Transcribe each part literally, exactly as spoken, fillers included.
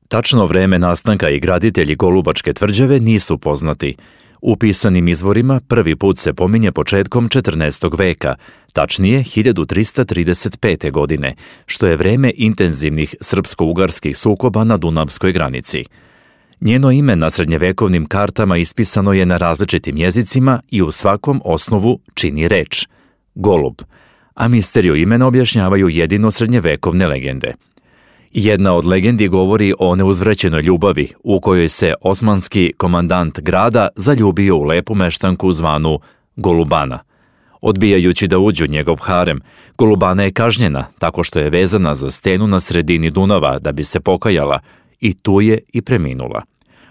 Tačno vreme nastanka i graditelji Golubačke tvrđave nisu poznati. U pisanim izvorima prvi put se pominje početkom četrnaestog veka, tačnije hiljadu trista trideset pete. godine, što je vreme intenzivnih srpsko-ugarskih sukoba na Dunavskoj granici. Njeno ime na srednjevekovnim kartama ispisano je na različitim jezicima i u svakom osnovu čini reč – golub, a misteriju imena objašnjavaju jedino srednjevekovne legende. Jedna od legendi govori o neuzvrećenoj ljubavi u kojoj se osmanski komandant grada zaljubio u lepu meštanku zvanu Golubana. Odbijajući da uđu njegov harem, Golubana je kažnjena tako što je vezana za stenu na sredini Dunava da bi se pokajala i tu je i preminula.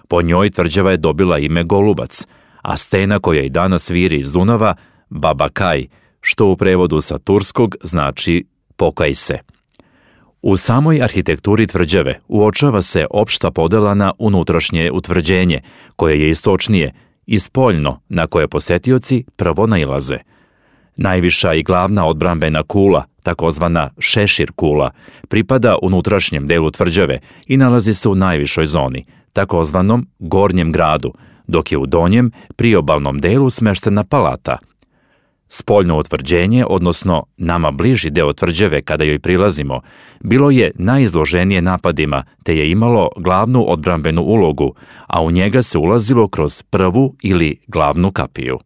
Po njoj tvrđava je dobila ime Golubac, a stena koja i danas viri iz Dunava, Baba Kaj, što u prevodu sa turskog znači pokaj se. U samoj arhitekturi tvrđave uočava se opšta podela na unutrašnje utvrđenje, koje je istočnije, i spoljno, na koje posetioci prvo nailaze. Najviša i glavna odbrambena kula, takozvana šešir kula, pripada unutrašnjem delu tvrđave i nalazi se u najvišoj zoni, takozvanom gornjem gradu, dok je u donjem, priobalnom delu smeštena palata. Spoljno utvrđenje, odnosno nama bliži deo tvrđave kada joj prilazimo, bilo je najizloženije napadima te je imalo glavnu odbrambenu ulogu, a u njega se ulazilo kroz prvu ili glavnu kapiju.